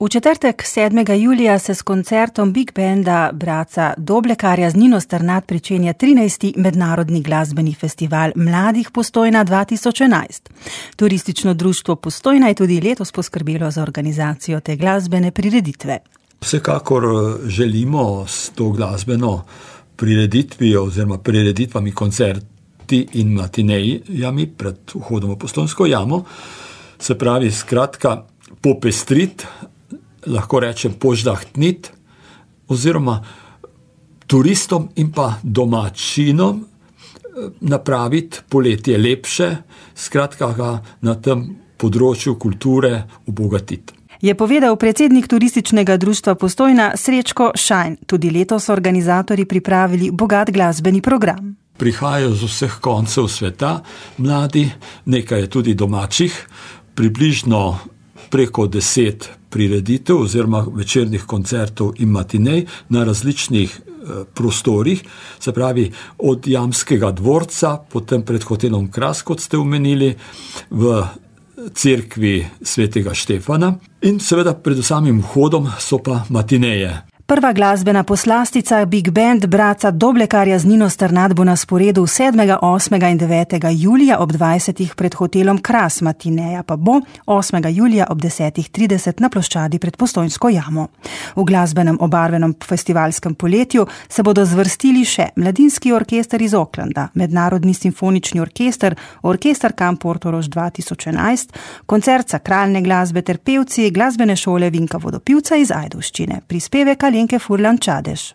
V četrtek 7. julija se s koncertom Big Banda Braca Doblekarja z Nino Strnad pričenja 13. mednarodni glasbeni festival mladih Postojna 2011. Turistično društvo Postojna je tudi letos poskrbelo za organizacijo te glasbene prireditve. Vsekakor želimo s to glasbeno prireditvijo oziroma prireditvami koncerti in matinejami pred vhodom v Postojnsko jamo, se pravi skratka popestrit, lahko rečem poždahtnit, oziroma turistom in pa domačinom napraviti poletje lepše, skratka ga na tem področju kulture obogatiti. Je povedal predsednik turističnega društva Postojna Srečko Šajn. Tudi letos so organizatorji pripravili bogat glasbeni program. Prihajajo z vseh koncev sveta mladi, nekaj je tudi domačih, približno preko 10 prireditev oziroma večernih koncertov in matinej na različnih prostorih, se pravi od Jamskega dvorca, potem pred hotelom Kras, kot ste omenili, v cerkvi svetega Štefana in seveda pred samim vhodom so pa matineje. Prva glasbena poslastica Big Band Braca Doblekarja z Nino Strnad bo na sporedu 7., 8. in 9. julija ob 20. pred hotelom Kras, matineja pa bo 8. julija ob 10.30 na ploščadi pred Postojnsko jamo. V glasbenem obarvenem festivalskem poletju se bodo zvrstili še Mladinski orkester iz Oaklanda, Mednarodni simfonični orkester, Orkester Camp Portorož 2011, koncert sakralne glasbe ter pevci glasbene šole Vinka Vodopivca iz Ajdovščine. Prispevek Alenke Furlan Čadež.